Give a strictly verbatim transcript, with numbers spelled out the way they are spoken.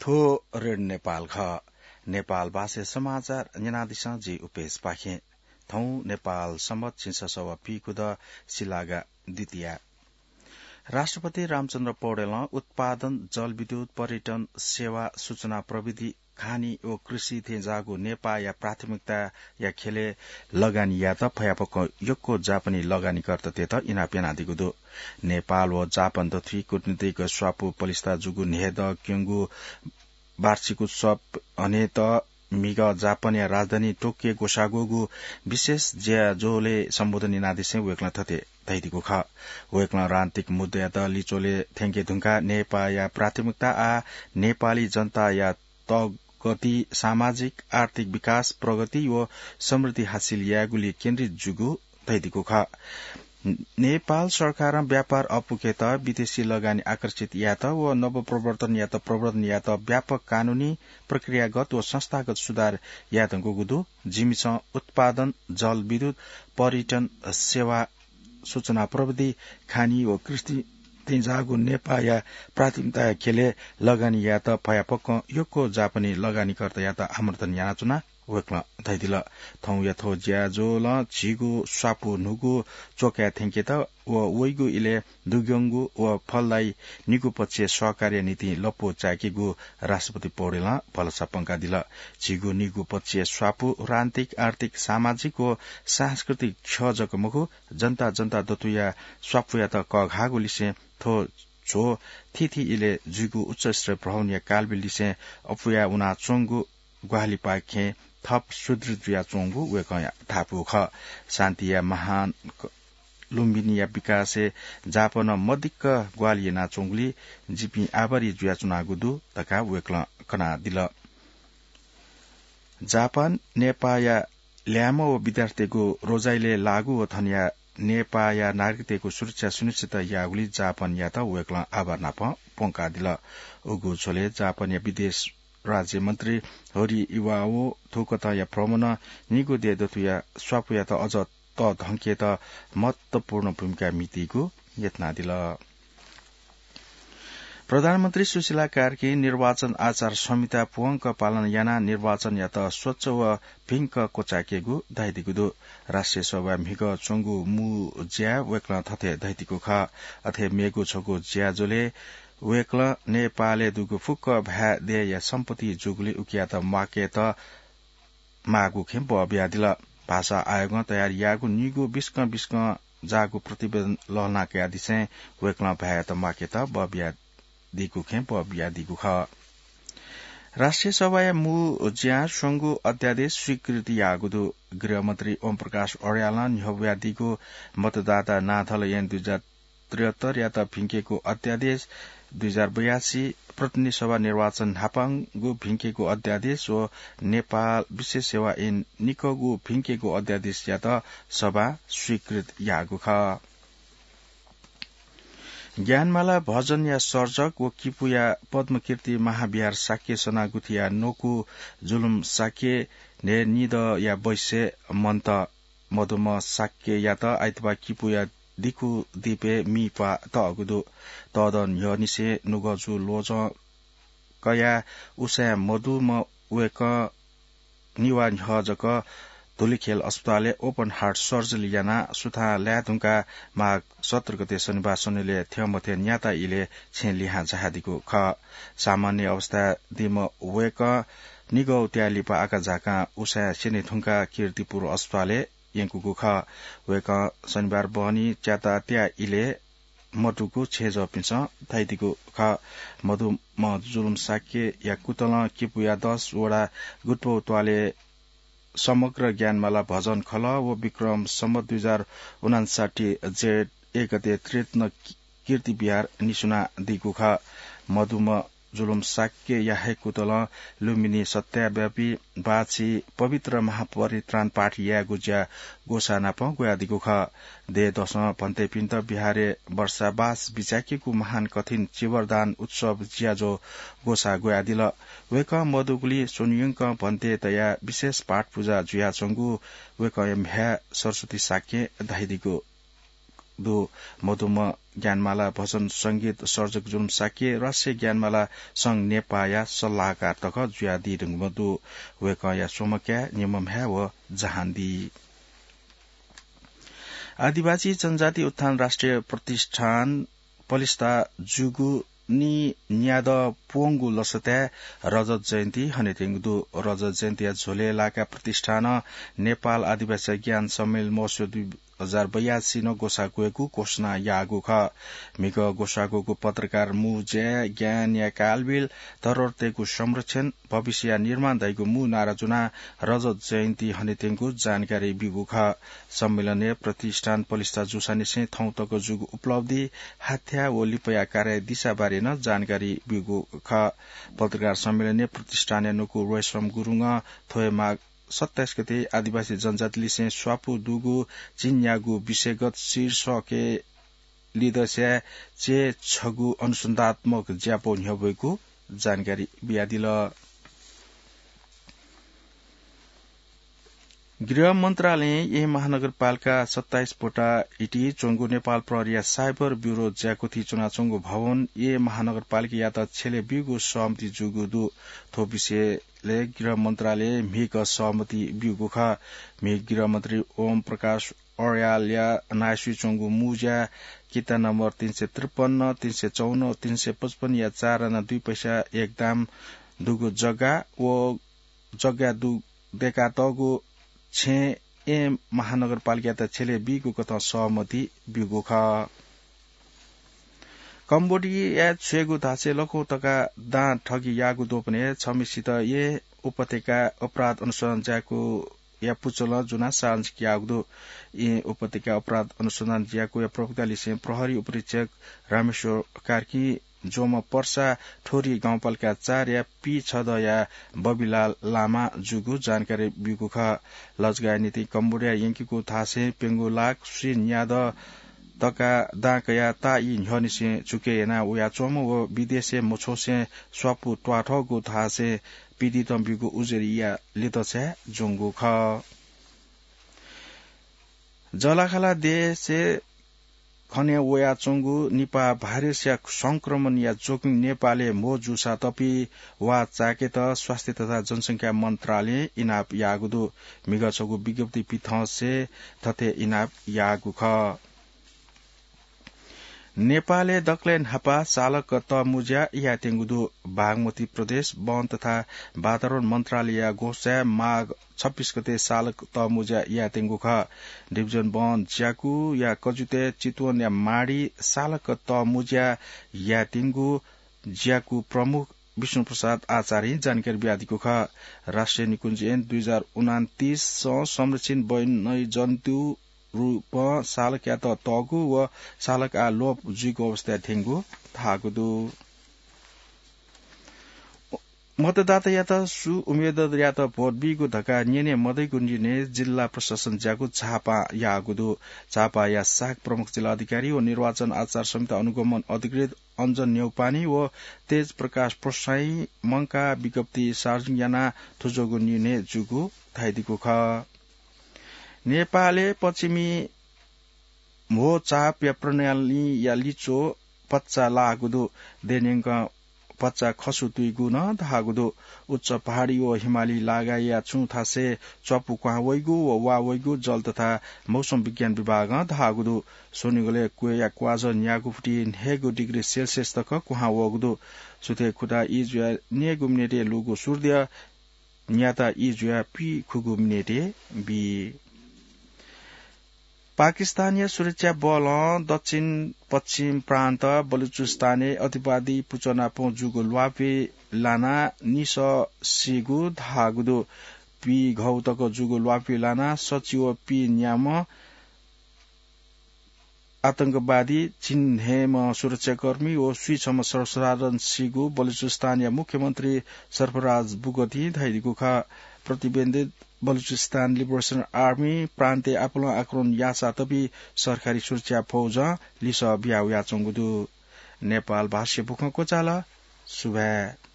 थ्व रेडियो नेपाल खः। नेपाल भाषाय् समाचार न्यनादिसँ जि उपेश पाखें। थौं नेपाल सम्बत झिंछसः व पीकुदँ सिलागा द्वितीया। राष्ट्रपति रामचन्द्र पौडेलं उत्पादन, जलविद्युत, पर्यटन, सेवा, सूचना प्रविधि, खानी व कृषि थेंज्याःगु नेपाःया प्राथमिकताया ख्यलय् लगानी यायेत फयाफक्व यक्व जापानी लगानीकर्तातय्त इनाप यानादीगु दु। नेपाल व जापान दथुइ कूटनीतिक स्वापू पलिस्था जूगु न्हय्दँ क्यंगु वार्षिक उत्सव हनेत म्हिगः जापानया राजधानी टोकियो ग्वसाः ग्वःगु विशेष ज्याझ्वलय् सम्बोधन यानादिसें वय्कलं थथे धयादीगु खः। वय्कलं राजनीतिक मुद्दायात लिच्वलय् थ्यंके धुंकाः नेपाःया प्राथमिकता आः नेपाली जनताया तःगति, सामाजिक आर्थिक विकास, प्रगति व समृद्धि हासिल यायेगुलि केन्द्रित जूगु धयादीगु खः। नेपाल सरकारं व्यापार अपुकेत विदेशी लगानी आकर्षित यायेत व नवप्रवर्तनयात प्रवर्धन यायेत व्यापक कानूनी, प्रक्रियागत व संस्थागत सुधार यायेधुंकूगु दु। जिमिसं उत्पादन, जलविद्युत, पर्यटन, सेवा, सूचना प्रविधि, खानी व कृषि थेंज्याःगु नेपाःया प्राथमिकताया ख्यलय् लगानी यायेत फयाफक्वं यक्व जापानी लगानीकर्तायात आमन्त्रण यानाच्वना। वय्कलं धयादिल, थौंया थ्व ज्याझ्वलं झीगु स्वापू न्हूगु च्वकाय् थ्यंकेत व वइगु इलय् दुग्यंगु व फलदायी निगू पक्षय् सहकार्य निंतिं लँपु चाय्केगु राष्ट्रपति पौडेलं भलसा प्वंकादिल। झीगु निगू पक्षय् स्वापू राजनीतिक, आर्थिक, सामाजिक व सांस्कृतिक ख्यः जक मखु, जनता जनता दथुया स्वापूयात कःघाःगु लिसें थ्व झ्वः थीथी इलय् जुइगु उच्चस्तरीय भ्रमणया कालबिल लिसें अपुया वनाच्वंगु ग्वाहालिपाखें थप सुदृढ जुयाच्वंगु वय्कःया धापू खः। शान्तिया महान क-, लुम्बिनीया विकासय् जापानं मदिक्क ग्वाहालि यानाच्वंगुलिं जिपिं आभारी जुयाच्वनागु दु धकाः वय्कलं कनादिल। जापान नेपाःया ल्याय्म्ह व विद्यार्थीतय्गु रोजाइलय् लागू व थनया नेपाःया नागरिकतय्गु सुरक्षा सुनिश्चित याःगुलिं जापानयात वय्कलं आभार नाप प्वंकादिल। उगु झ्वलय् जापानया विदेश राज्यमन्त्री होरी इवाओ थुकथंया भ्रमणं निगू देय् दथुया स्वापूयात अझ तःधंकेत महत्वपूर्ण भूमिका म्हितीगु यत्नादिल। प्रधानमन्त्री सुशीला कार्कीं निर्वाचन आचार संहिता पूवंक पालन यानाः निर्वाचनयात स्वच्छ व भिंक क्वचाय्केगु धयादीगु दु। राष्ट्रिय सभाय् म्हिगः च्वंगु मू ज्याय् वय्कलं थथे धयादीगु खः। अथे मेगु छगू ज्याझ्वलय् वय्कलं नेपालय् दुगु फुक्क भाय् देय्या सम्पत्ति जूगुलिं उकियात म्वाकेत माःगु खँय् बः बियादिल। भाषा आयोगं तयार याःगु निगू बिस्कं बिस्कं जाःगु प्रतिवेदन लःल्हाना कयादिसें वय्कलं भाय्‌यात म्वाकेत बः बियादीगु खँय् बः बियादीगु खः। राष्ट्रिय सभाया मू ज्यां स्वंगू अध्यादेश स्वीकृत याःगु दु। गृहमन्त्री ओम प्रकाश अर्यालं न्ह्यब्वयादीगु मतदाता नाथल ऐन दुई हजार त्रिहत्तरयात भिंकेगु अध्यादेश, दुई हजार बयासी प्रतिनिधि सभा निर्वाचन न्हापांगु भिंकेगु अध्यादेश व नेपाल विशेष सेवा ऐन निकःगु भिंकेगु अध्यादेशयात सभां स्वीकृत याःगु खः। ज्ञानमाला भजनया सर्जक व किपूया पद्मकीर्ति महाविहार शाक्य सनागुथिया नकु जुलुम शाक्य न्हय् निदँया बैसय् मन्त मदुम्ह शाक्ययात आइतबाः किपूया दिकु दीपय् मि प्वाः तःगु दु। तःदँ न्ह्यःनिसें नुगःजु ल्वजं कयाः उसाँय् मदुम्ह वय्कः निवा न्ह्यः जक धुलिखेल अस्पतालय् open heart surgery यानाः सुथां लाये धुंकाः माघ सत्र गते शनिबार स्वनिलय् थ्यंमथ्यं न्याता इलय् छेँ लिहां झायादीगु खः। सामान्य अवस्थाय् दीम्ह वय्कः निगः उतिया लिपा आकाझाकां उसाँय् स्यने धुंकाः कीर्तिपुर अस्पतालय् यंकूगु खः। वय्कः शनिबार बहनी च्याता त्याः इलय् मदुगु छेँजःपिन्सं धयादीगु खः। मदुम्ह जुलुम शाक्यया कुतलं किपूया दस वडा गुत्पौ त्वालय् समग्र ज्ञानमाला भजन खलः व विक्रम सम्वत दुई हजार उनान्साठी जेठ एक गते त्रिरत्न कीर्ति विहार निस्वनादीगु खः। मदुम्ह जुलुम शाक्यया हे कुतलं लुम्बिनी सत्याव्यापी बाःछि पवित्र महापरित्राण पाठ यायेगु ज्या ग्वसाः नाप ग्वयादीगु खः। देय् दसं भन्तेपिन्त विहारय् वर्षावास बिचाय्केगु महान कठिन चीवरदान उत्सव ज्याझ्वः ग्वसाः ग्वयादिल। वय्कः मदुगुलिं स्वन्हुयंकं भन्ते तयाः विशेष पाठ पुजा जुयाच्वंगु वय्कःया म्ह्याय् सरस्वती शाक्यं धयादीगु दु। मदुम्ह ज्ञानमाला भजन संगीत सर्जक जुलुम शाक्य राष्ट्रिय ज्ञानमाला संघ नेपाःया सल्लाहकार तक जुयादी धुंकूम्ह दु। वय्कःया स्वम्ह काय्, निम्ह म्ह्याय् व जहान दी। आदिवासी जनजाति उत्थान राष्ट्रिय प्रतिष्ठान पलिस्था जूगु नीन्यादँ प्वंगु लसताय् रजत जयन्ती हनेत्यंगु दु। रजत जयन्तीया झ्वलय् लाकाः प्रतिष्ठानं नेपाल आदिवासी ज्ञान सम्मेलन महोत्सव दुई हजार बयासी नं ग्वसाः क्वयेगु घोषणा याःगु खः। म्हिगः ग्वसाः क्वःगु पत्रकार मुँज्याय् ज्ञानया कालबिल, धरोहरतय्गु संरक्षण, भविष्यया निर्माण धइगु मू नारा जुनाः रजत जयन्ती हनेत्यंगु जानकारी ब्यूगु खः। सम्मेलनय् प्रतिष्ठान पलिस्था जूसांनिसें थौं तक जूगु उपलब्धि, हाथ्या व लिपाया कार्यदिशा बारे नं जानकारी ब्यूगु खः। पत्रकार सम्मेलनय् प्रतिष्ठानया नुगः रोयसम गुरुङं थ्व हे माघ सत्ताइस गते आदिवासी जनजातिलिसें स्वापू दुगु चिन्यागु विषयगत शीर्षकय् लिदस्याय् चे छगू अनुसन्धात्मक ज्यापौ न्ह्यब्वयेगु जानकारी बियादिल। गृह मन्त्रालयं येँ महानगरपालिका सत्ताइस बोटा इति च्वंगु नेपाल प्रहरीया साइबर ब्युरो ज्याकुथि च्वनाच्वंगु भवन येँ महानगरपालिकायात छ्यले ब्यूगु सहमति जूगु दु। थ्व विषयलय् गृह मन्त्रालयं म्हिगः सहमति ब्यूगु खः। म्हिगः गृह मन्त्री ओम प्रकाश अर्यालया नायःसुइ च्वंगु मुँज्या किता नम्बर तीन सय त्रिपन्न, तीन सय चौवन, तीन सय पचपन्नया चार आना दुई पैसा एक दाम दुगु जग्गा व जग्गा दु-, दय्कातःगु छेँय् येँ महानगरपालिकायात छ्यले बीगु कथं सहमति ब्यूगु खः। कम्बोडियाय् छ्वयेगु धासें लखौ तका दां ठगी याःगु द्वपनय् छम्हसित येँ उपत्यका अपराध अनुसन्धान ज्याकुया पुचलं जुनाः सार्वजनिक याःगु दु। येँ उपत्यका अपराध अनुसन्धान ज्याकुया प्रवक्तालिसें प्रहरी उपरीक्षक रामेश्वर कार्की ज्वम्ह पर्सा ठोरी गाउँपालिका चारया पीछदँया बबिलाल लामा जूगु जानकारी ब्यूगु खः। लजगाःया निंतिं कम्बोडिया यंकीगु धासें प्यंगू लाख स्वीन्यादँ तका दां कयाः ताःई न्ह्यःनिसें झुके याना वयाच्वंम्ह व विदेशय् मछ्वसें स्वापू त्वाथःगु धासें पीडितं ब्यूगु उजुरीया लिदँछाय् ज्वंगु खः। जःलाखःला देशय् खने वयाच्वंगु निपाह भाइरसया संक्रमणया जोखिम नेपालय् म्हो जूसा तपि वा चाय्केत स्वास्थ्य तथा जनसंख्या मन्त्रालयं इनाप याःगु दु। म्हिगः छगू विज्ञप्ति पिथंसे थथे इनाप याःगु खः। नेपालय् दकलय् न्हापा सालक तःमुँज्या यायेत्यंगु दु। बागमती प्रदेश वन तथा वातावरण मन्त्रालयया घोषणाय् माघ छब्बीस गते सालक तःमुँज्या यायेत्यंगु खः। डिभिजन वन ज्याकुया कजुतय् चितवनया माडी सालक तःमुँज्या यायेत्यंगु ज्याकु प्रमुख विष्णुप्रसाद आचार्यं जानकारी बियादीगु खः। राष्ट्रिय निकुञ्ज ऐन दुई हजार उनान्तिसं संरक्षित वन्यजन्तु रूपं सालकयात तःगु व सालक आः लोप जुइगु अवस्थाय् थ्यंगु धाःगु दु। मतदातायात सु उम्मेदवारयात भोट बीगु धकाः न्यने मदइगु निर्णय जिल्ला प्रशासन ज्याकु झापां याःगु दु। झापाया सहायक प्रमुख जिल्ला अधिकारी व निर्वाचन आचार संहिता अनुगमन अधिकृत अञ्जन न्यौपाने व तेज प्रकाश प्रसाईं मंकाः विज्ञप्ति सार्वजनिक यानाः थुज्वःगु निर्णय जूगु धयादीगु खः। नेपालय् पश्चिमी म्हो चापया प्रणालीया लिच्वः भचा लाःगु दु। देय् न्यंकं भचा खसु तुइगु नं धाःगु दु। उच्च पहाडी व हिमाली लागाया छुं थासय् च्वापु क्वहां वइगु व वा वइगु जल तथा मौसम विज्ञान विभागं धाःगु दु। स्वनिगलय् क्वय्या क्वाजः न्यागू फुति न्हय्गू डिग्री सेल्सियस तक क्वहां वःगु दु। सुथय् खुता ई जुयाः न्यय्गू मिनेटय् लूगु सूर्य न्याता ई जुयाः पीखुगू मिनेटय् बी। पाकिस्तानया सुरक्षा बलं दक्षिण पश्चिम प्रान्त बलुचिस्तानय् अतिवादी पुचः नाप जूगु ल्वापय् लानाः निसः सीगु धाःगु दु। पीघौ तक जूगु ल्वापय् लानाः सच्छि व पीन्याम्ह आतंकवादी, झिंन्हय्म्ह सुरक्षाकर्मी व स्वीछम्ह सर्वसाधारण सीगु बलुचिस्तानया मुख्यमन्त्री सरफराज बुगतिं धयादीगु खः। प्रतिबन्धित बलुचिस्तान लिबरेसन आर्मी प्रान्तय् आपालं आक्रमण याःसा तपि सरकारी सुरक्षा फौजं लिसः बिया वयाच्वंगु दु। नेपाल भाषाय् बुखँ क्वचाल। सुभाय्।